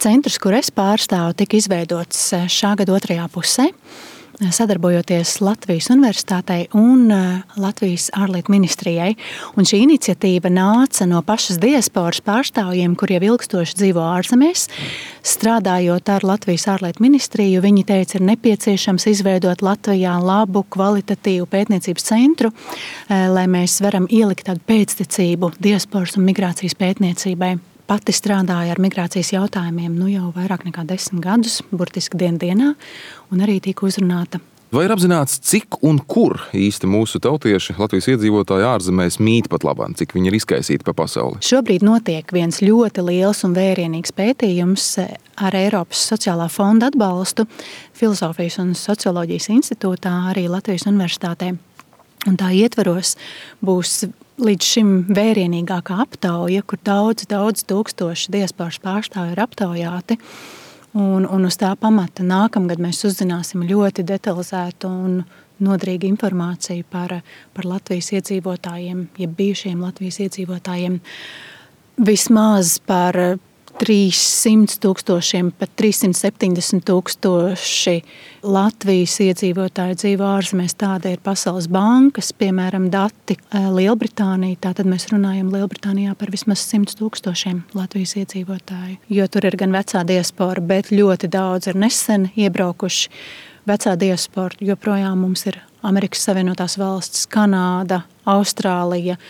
centrs, kur es pārstāvu, tika izveidots šā gada otrajā pusē, sadarbojoties Latvijas Universitātei un Latvijas ārlietu ministrijai. Un šī iniciatīva nāca no pašas diasporas pārstāvjiem, kur jau ilgstoši dzīvo ārzemēs. Strādājot ar Latvijas ārlietu ministriju, viņi teica, ir nepieciešams izveidot Latvijā labu, kvalitatīvu pētniecības centru, lai mēs varam ielikt tādu pēctecību diasporas un migrācijas pētniecībai. Pati strādāja ar migrācijas jautājumiem jau vairāk nekā 10 gadus, burtiski dienā, un arī tika uzrunāta. Vai ir apzināts, cik un kur īsti mūsu tautieši, Latvijas iedzīvotāji ārzemēs mīt pat labāk, cik viņi ir izkaisīti pa pasauli? Šobrīd notiek viens ļoti liels un vērienīgs pētījums ar Eiropas sociālā fonda atbalstu Filosofijas un socioloģijas institūtā, arī Latvijas Universitātē. Un tā ietvaros būs līdz šim vērienīgākā aptauja, kur daudz tūkstoši diasporas pārstāvji ir aptaujāti. Un uz tā pamata nākamgad mēs uzzināsim ļoti detalizētu un noderīgu informāciju par Latvijas iedzīvotājiem, jeb bijušiem Latvijas iedzīvotājiem. Vismaz par 300,000, pat 370,000 Latvijas iedzīvotāji dzīvo ārzemēs. Tāda ir Pasaules bankas, piemēram, dati Lielbritānija. Tātad mēs runājam Lielbritānijā par vismaz 100,000 Latvijas iedzīvotāju. Jo tur ir gan vecā diaspora, bet ļoti daudz ir nesen iebraukuši. Vecā diaspora joprojām mums ir Amerikas Savienotās valstis, Kanāda, Austrālija,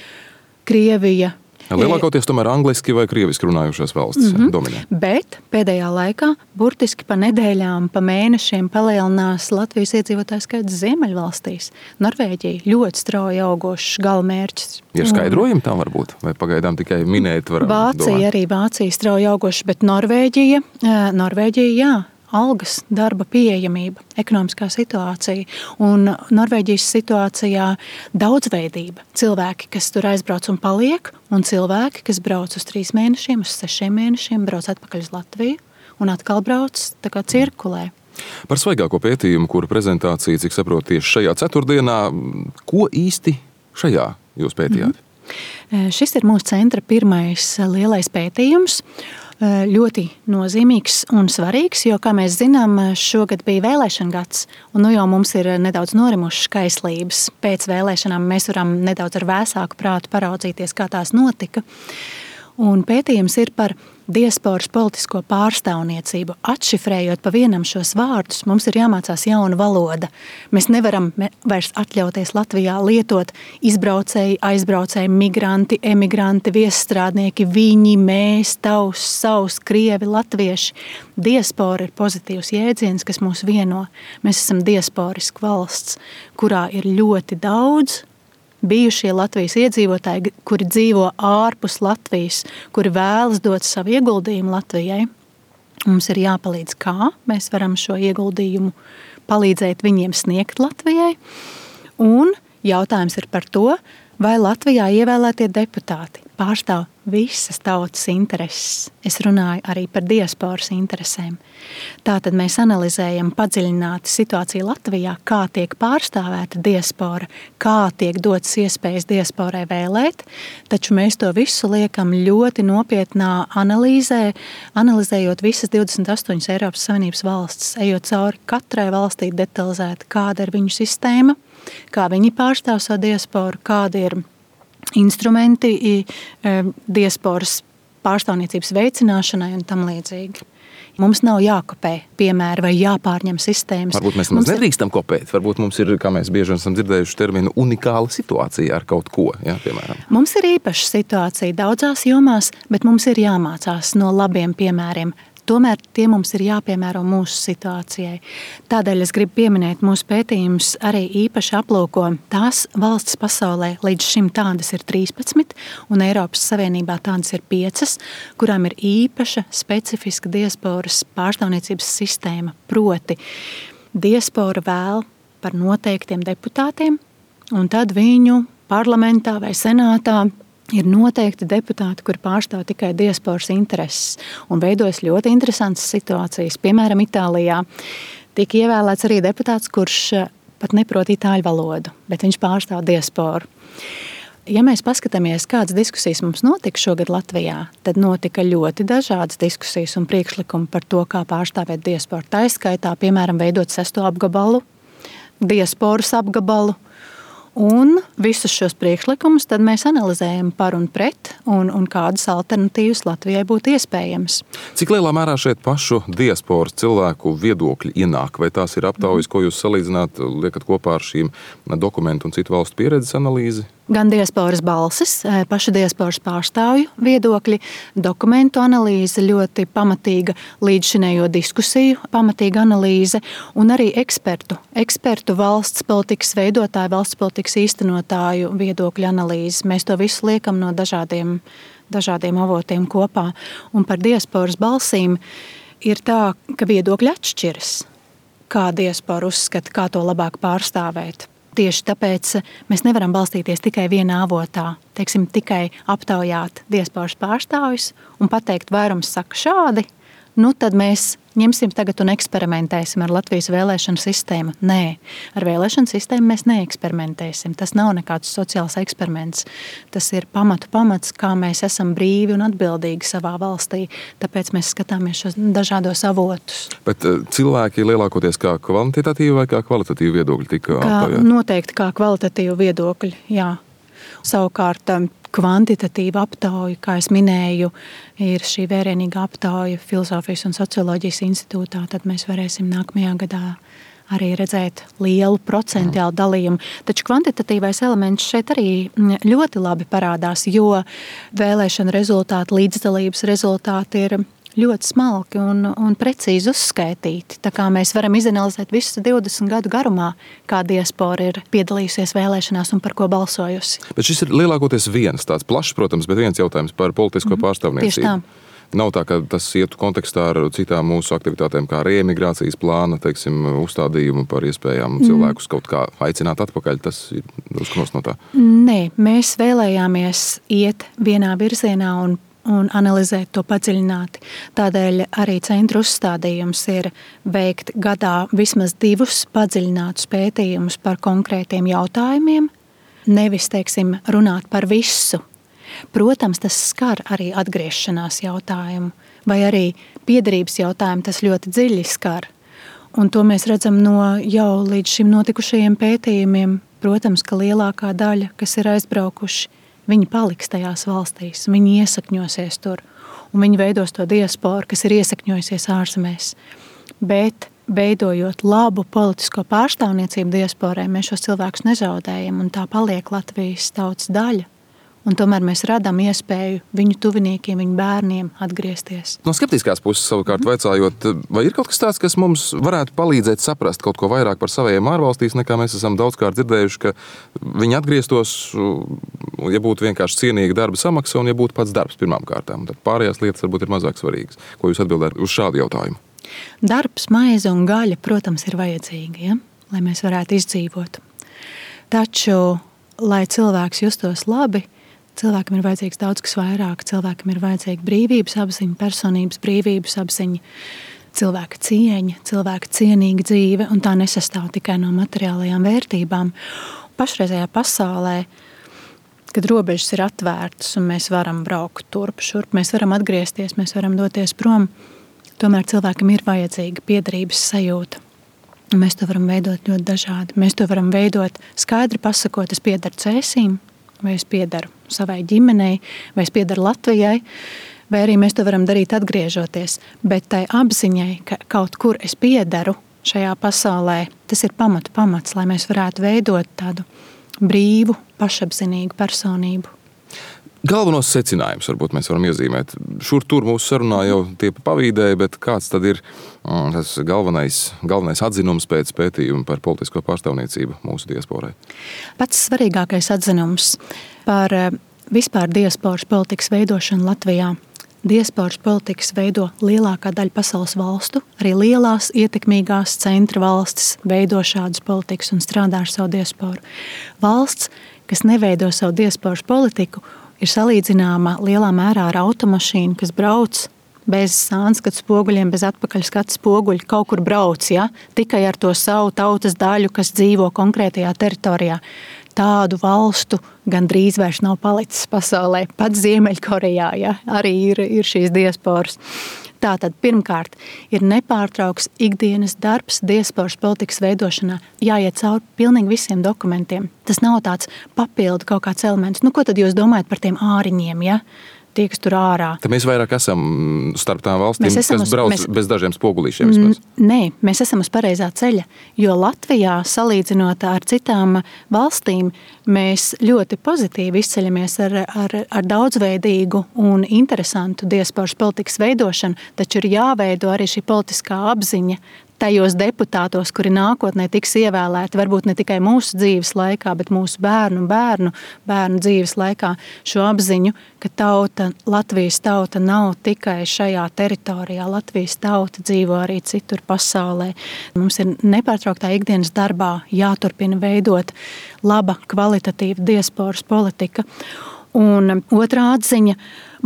Krievija. Lielākoties tomēr angliski vai krieviski runājušās valstis dominē. Bet pēdējā laikā, burtiski pa nedēļām, pa mēnešiem palielinās Latvijas iedzīvotāju skaits Ziemeļvalstīs. Norvēģija ļoti strauji augošs galamērķis. Ir skaidrojumi tam varbūt? Vai pagaidām tikai minēt varam Vācija, arī Vācija strauji augošs, bet Norvēģija, jā. Algas, darba pieejamība, ekonomiskā situācija un Norvēģijas situācijā daudzveidība. Cilvēki, kas tur aizbrauc un paliek, un cilvēki, kas brauc uz 3 mēnešiem, uz 6 mēnešiem, brauc atpakaļ uz Latviju un atkal brauc tā kā cirkulē. Par svaigāko pētījumu, kura prezentācija, cik saprotu, tieši šajā ceturtdienā, ko īsti šajā jūs pētījāt? Šis ir mūsu centra pirmais lielais pētījums. Ļoti nozīmīgs un svarīgs, jo, kā mēs zinām, šogad bija vēlēšana gads, un jau mums ir nedaudz norimušas kaislības. Pēc vēlēšanām mēs varam nedaudz ar vēsāku prātu paraudzīties, kā tās notika. Un pētījums ir par diasporas politisko pārstāvniecību. Atšifrējot pa vienam šos vārdus, mums ir jāmācās jauna valoda. Mēs nevaram vairs atļauties Latvijā lietot izbraucēji, aizbraucēji, migranti, emigranti, viesstrādnieki, viņi, mēs, tavs, savs, krievi, latvieši. Diaspora ir pozitīvs jēdziens, kas mūs vieno. Mēs esam diasporiska valsts, kurā ir ļoti daudz bijušie Latvijas iedzīvotāji, kuri dzīvo ārpus Latvijas, kuri vēlas dot savu ieguldījumu Latvijai. Mums ir jāpalīdz, kā mēs varam šo ieguldījumu palīdzēt viņiem sniegt Latvijai. Un jautājums ir par to, vai Latvijā ievēlētie deputāti pārstāv visas tautas intereses. Es runāju arī par diasporas interesēm. Tātad mēs analizējam padziļināti situāciju Latvijā, kā tiek pārstāvēta diaspora, kā tiek dotas iespējas diasporai vēlēt, taču mēs to visu liekam ļoti nopietnā analīzē, analizējot visas 28 Eiropas Savienības valstis, ejot cauri katrai valstī detalizēti, kāda ir viņu sistēma, kā viņi pārstāv savu diasporu, kādi ir instrumenti diasporas pārstāvniecības veicināšanai un tam līdzīgi. Mums nav jākopē piemēri vai jāpārņem sistēmas. Varbūt mēs nedrīkstam kopēt. Varbūt mums ir, kā mēs bieži esam dzirdējuši terminu, unikāla situācija ar kaut ko, piemēram. Mums ir īpaša situācija daudzās jomās, bet mums ir jāmācās no labiem piemēriem. Tomēr tie mums ir jāpiemēro mūsu situācijai. Tādēļ es gribu pieminēt, mūsu pētījums arī īpaši aplūko tās valstis pasaulē, līdz šim tādas ir 13, un Eiropas Savienībā tādas ir 5, kurām ir īpaša specifiska diasporas pārstāvniecības sistēma. Proti, diaspora vēl par noteiktiem deputātiem, un tad viņu parlamentā vai senātā ir noteikti deputāti, kuri pārstāv tikai diasporas intereses, un veidojas ļoti interesantas situācijas. Piemēram, Itālijā tika ievēlēts arī deputāts, kurš pat neprot itāļu valodu, bet viņš pārstāv diasporu. Ja mēs paskatāmies, kādas diskusijas mums notika šogad Latvijā, tad notika ļoti dažādas diskusijas un priekšlikumi par to, kā pārstāvēt diasporu. Tā izskaitā, piemēram, veidot 6. apgabalu, diasporas apgabalu. Un visus šos priekšlikumus tad mēs analizējam par un pret, un kādas alternatīvas Latvijai būtu iespējamas. Cik lielā mērā šeit pašu diasporas cilvēku viedokļi ienāk? Vai tās ir aptaujas, ko jūs salīdzināt, liekat kopā ar šīm dokumentu un citu valstu pieredzes analīzi? Gan diasporas balsis, pašu diasporas pārstāvju viedokļi, dokumentu analīze, ļoti pamatīga līdzšinējo diskusiju, pamatīga analīze un arī ekspertu valsts politikas veidotāju, valsts politikas īstenotāju viedokļu analīze. Mēs to visu liekam no dažādiem avotiem kopā. Un par diasporas balsīm ir tā, ka viedokļi atšķiras. Kā diaspora uzskata, kā to labāk pārstāvēt. Tieši tāpēc mēs nevaram balstīties tikai vienā avotā, teiksim, tikai aptaujāt diasporas pārstāvjus un pateikt, vairums saka šādi, nu tad mēs ņemsim tagad un eksperimentēsim ar Latvijas vēlēšanu sistēmu. Nē, ar vēlēšanu sistēmu mēs neeksperimentēsim. Tas nav nekāds sociāls eksperiments. Tas ir pamats, kā mēs esam brīvi un atbildīgi savā valstī. Tāpēc mēs skatāmies šos dažādos avotus. Bet cilvēki lielākoties kā kvantitatīvi vai kā kvalitatīvi viedokļi tika aptaujāti? Noteikti kā kvalitatīvi viedokļi, jā. Savukārt kvantitatīva aptauja, kā es minēju, ir šī vērienīga aptauja Filozofijas un socioloģijas institūtā, tad mēs varēsim nākamajā gadā arī redzēt lielu procentuālu dalījumu. Taču kvantitatīvais elements šeit arī ļoti labi parādās, jo vēlēšana rezultāti, līdzdalības rezultāti ir ļoti smalki un precīzi uzskaitīti. Tā kā mēs varam izanalizēt visu 20 gadu garumā, kā diaspora ir piedalījusies vēlēšanās un par ko balsojusi. Bet šis ir lielākoties viens tāds plašs, protams, bet viens jautājums par politisko pārstāvniecību. Tieši tā. Nav tā, ka tas ietu kontekstā ar citām mūsu aktivitātēm, kā reemigrācijas plāna, teiksim, uzstādījumu par iespējām cilvēkus kaut kā aicināt atpakaļ. Tas ir drusku no tā. Nē, mēs vēlējāmies iet vienā virzienā un analizēt to padziļināti. Tādēļ arī centra uzstādījums ir veikt gadā vismaz 2 padziļinātus pētījumus par konkrētiem jautājumiem, nevis, teiksim, runāt par visu. Protams, tas skar arī atgriešanās jautājumu, vai arī piederības jautājumu, tas ļoti dziļi skar. Un to mēs redzam no jau līdz šim notikušajiem pētījumiem. Protams, ka lielākā daļa, kas ir aizbraukuši, viņi paliks tajās valstīs, viņi iesakņosies tur, un viņi veidos to diasporu, kas ir iesakņojusies ārzemēs. Bet, veidojot labu politisko pārstāvniecību diasporai, mēs šos cilvēkus nezaudējam, un tā paliek Latvijas tautas daļa. Un tomēr mēs radām iespēju viņu tuviniekiem, viņu bērniem atgriezties. No skeptiskās puses savukārt vaicājot, vai ir kaut kas tāds, kas mums varētu palīdzēt saprast kaut ko vairāk par saviem ārvalstīs, nekā mēs esam daudzkārt dzirdējuši, ka viņi atgrieztos, ja būtu vienkārši cienīga darba samaksa un ja būtu pats darbs pirmām kārtām. Tad pārējās lietas varbūt ir mazāk svarīgas. Ko jūs atbildētu uz šādu jautājumu? Darbs, maize un gaļa, protams, ir vajadzīgi, ja? Lai mēs varētu izdzīvot. Taču, lai cilvēks justos labi, cilvēkam ir vajadzīgs daudz kas vairāk. Cilvēkam ir vajadzīga brīvības apziņa, personības brīvības apziņa, cilvēka cieņa, cilvēka cienīga dzīve, un tā nesastāv tikai no materiālajām vērtībām. Pašreizējā pasaulē, kad robežas ir atvērtas un mēs varam braukt turp, šurp, mēs varam atgriezties, mēs varam doties prom, tomēr cilvēkam ir vajadzīga piederības sajūta. Un mēs to varam veidot ļoti dažādi. Mēs to varam veidot skaidri pasakot, es piederu Cēsīm, vai es piederu savai ģimenei, vai es piederu Latvijai, vai arī mēs to varam darīt atgriežoties. Bet tai apziņai, ka kaut kur es piederu šajā pasaulē, tas ir pamats, lai mēs varētu veidot tādu brīvu, pašapzinīgu personību. Galvenos secinājumus varbūt mēs varam iezīmēt. Šur tur mūsu sarunā jau tie pavīdēja, bet kāds tad ir tas galvenais atzinums pēc pētījuma par politisko pārstāvniecību mūsu diasporai? Pats svarīgākais atzinums par vispār diasporas politikas veidošanu Latvijā. Diasporas politikas veido lielākā daļa pasaules valstu, arī lielās, ietekmīgās centra valstis veido šādas politikas un strādā ar savu diasporu. Valsts, kas neveido savu diasporas politiku, ir salīdzināma lielā mērā ar automašīnu, kas brauc bez sānskatu spoguļiem, bez atpakaļskatu spoguļu, kaut kur brauc, ja? Tikai ar to savu tautas daļu, kas dzīvo konkrētajā teritorijā. tādu valstu gandrīz vairs nav palicis pasaulē. Pat Ziemeļkorejā, ja, arī ir šīs diasporas. Tātad pirmkārt ir nepārtrauks ikdienas darbs diasporas politikas veidošanā, jāiet cauri pilnīgi visiem dokumentiem. Tas nav tāds papildu kaut kāds elements. Ko tad jūs domājat par tiem āriņiem, ja? Tie, kas tur ārā. Tad mēs vairāk esam starp tām valstīm, kas brauc bez dažiem spogulīšiem vismaz. Nē, mēs esam uz pareizā ceļa, jo Latvijā, salīdzinot ar citām valstīm, mēs ļoti pozitīvi izceļamies ar daudzveidīgu un interesantu diasporas politikas veidošanu, taču ir jāveido arī šī politiskā apziņa tajos deputātos, kuri nākotnē tiks ievēlēti, varbūt ne tikai mūsu dzīves laikā, bet mūsu bērnu dzīves laikā, šo apziņu, ka Latvijas tauta nav tikai šajā teritorijā. Latvijas tauta dzīvo arī citur pasaulē. Mums ir nepārtrauktā ikdienas darbā jāturpina veidot laba, kvalitatīva diasporas politika. Un otrā atziņa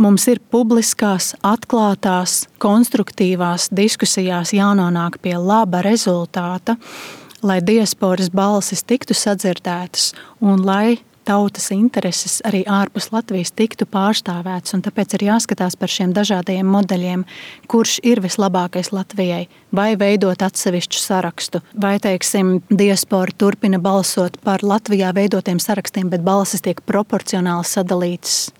mums ir publiskās, atklātās, konstruktīvās diskusijās jānonāk pie laba rezultāta, lai diasporas balsis tiktu sadzirdētas un lai tautas intereses arī ārpus Latvijas tiktu pārstāvētas. Un tāpēc ir jāskatās par šiem dažādajiem modeļiem, kurš ir vislabākais Latvijai, vai veidot atsevišķu sarakstu, vai, teiksim, diaspora turpina balsot par Latvijā veidotiem sarakstiem, bet balsis tiek proporcionāli sadalītas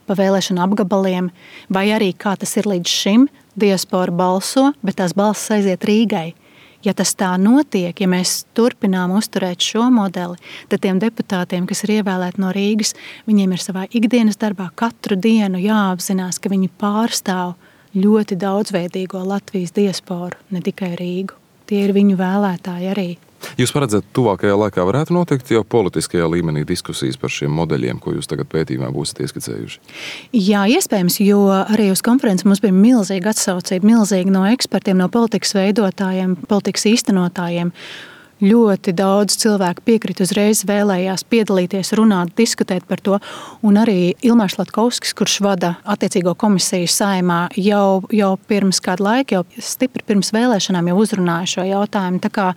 pa vēlēšanu apgabaliem, vai arī, kā tas ir līdz šim, diaspora balso, bet tās balsis aiziet Rīgai. Ja tas tā notiek, ja mēs turpinām uzturēt šo modeli, tad tiem deputātiem, kas ir ievēlēti no Rīgas, viņiem ir savā ikdienas darbā katru dienu jāapzinās, ka viņi pārstāv ļoti daudzveidīgo Latvijas diasporu, ne tikai Rīgu. Tie ir viņu vēlētāji arī. Jūs paredzat, tuvākajā laikā varētu notikt jau politiskajā līmenī diskusijas par šiem modeļiem, ko jūs tagad pētījumā būsiet ieskicējuši? Jā, iespējams, jo arī uz konferenci mums bija milzīga atsaucība, milzīga no ekspertiem, no politikas veidotājiem, politikas īstenotājiem. Ļoti daudz cilvēku piekrita uzreiz, vēlējās piedalīties, runāt, diskutēt par to. Un arī Ilmārs Latkovskis, kurš vada attiecīgo komisiju Saeimā, jau pirms kādu laiku, jau stipri pirms vēlēšanām jau uzrunāja šo jautājumu. Tā kā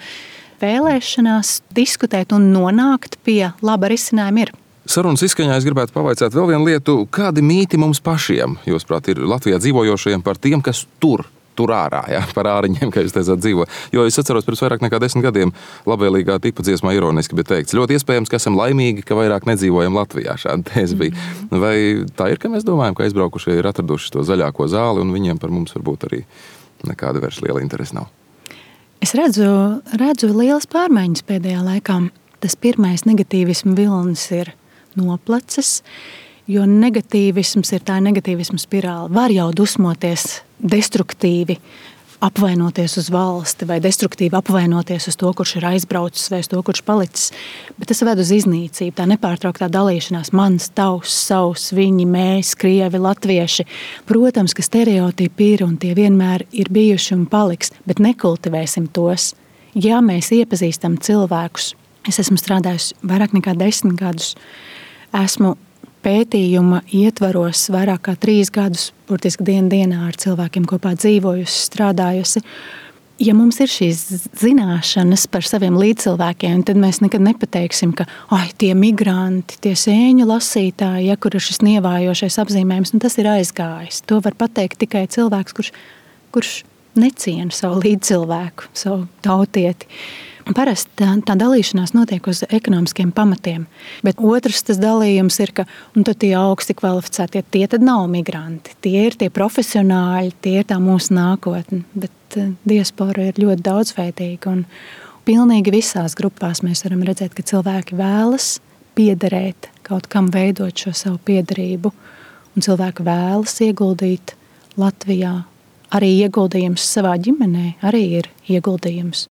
vēlēšanās diskutēt un nonākt pie laba risinājuma ir. Sarunas izskaņā es gribētu pavaicāt vēl vienu lietu. Kādi mīti mums pašiem, jūsuprāt, ir Latvijā dzīvojošajiem par tiem, kas tur ārā, ja, par āriņiem, kā jūs teicāt, dzīvo. Jo es atceros, pirms vairāk nekā 10 gadiem labvēlīgā tipa dziesmā ironiski bija teikts, ļoti iespējams, ka esam laimīgi, ka vairāk nedzīvojam Latvijā. Šāda tēze bija. Vai tā ir, ka mēs domājam, ka aizbraukušie ir atraduši to zaļāko zāli un viņiem par mums varbūt arī nekāda vairs liela interese nav? Es redzu lielas pārmaiņas pēdējā laikā. Tas pirmais negatīvismu vilnis ir noplacis, jo negatīvisms ir tā negatīvismu spirāli. Var jau dusmoties destruktīvi, apvainoties uz valsti vai destruktīvi apvainoties uz to, kurš ir aizbraucis vai uz to, kurš palicis. Bet tas ved uz iznīcību, tā nepārtrauktā dalīšanās. Mans, tavs, savs, viņi, mēs, krievi, latvieši. Protams, ka stereotipi ir un tie vienmēr ir bijuši un paliks, bet nekultivēsim tos. Ja mēs iepazīstam cilvēkus, es esmu strādājusi vairāk nekā 10 gadus, esmu pētījuma ietvaros vairāk kā 3 gadus, burtiski dienā ar cilvēkiem kopā dzīvojusi, strādājusi. Ja mums ir šīs zināšanas par saviem līdzcilvēkiem, tad mēs nekad nepateiksim, ka tie migranti, tie sēņu lasītāji, ja, kur ir šis nievājošais apzīmējums, tas ir aizgājis. To var pateikt tikai cilvēks, kurš neciena savu līdzcilvēku, savu tautieti. Parasti tā dalīšanās notiek uz ekonomiskiem pamatiem, bet otrs tas dalījums ir, ka tad tie augsti kvalificētie, tie tad nav migranti, tie ir tie profesionāļi, tie ir tā mūsu nākotne, bet diaspora ir ļoti daudzveidīga un pilnīgi visās grupās mēs varam redzēt, ka cilvēki vēlas piederēt, kaut kam veidot šo savu piederību, un cilvēki vēlas ieguldīt Latvijā. Arī ieguldījums savā ģimenē arī ir ieguldījums.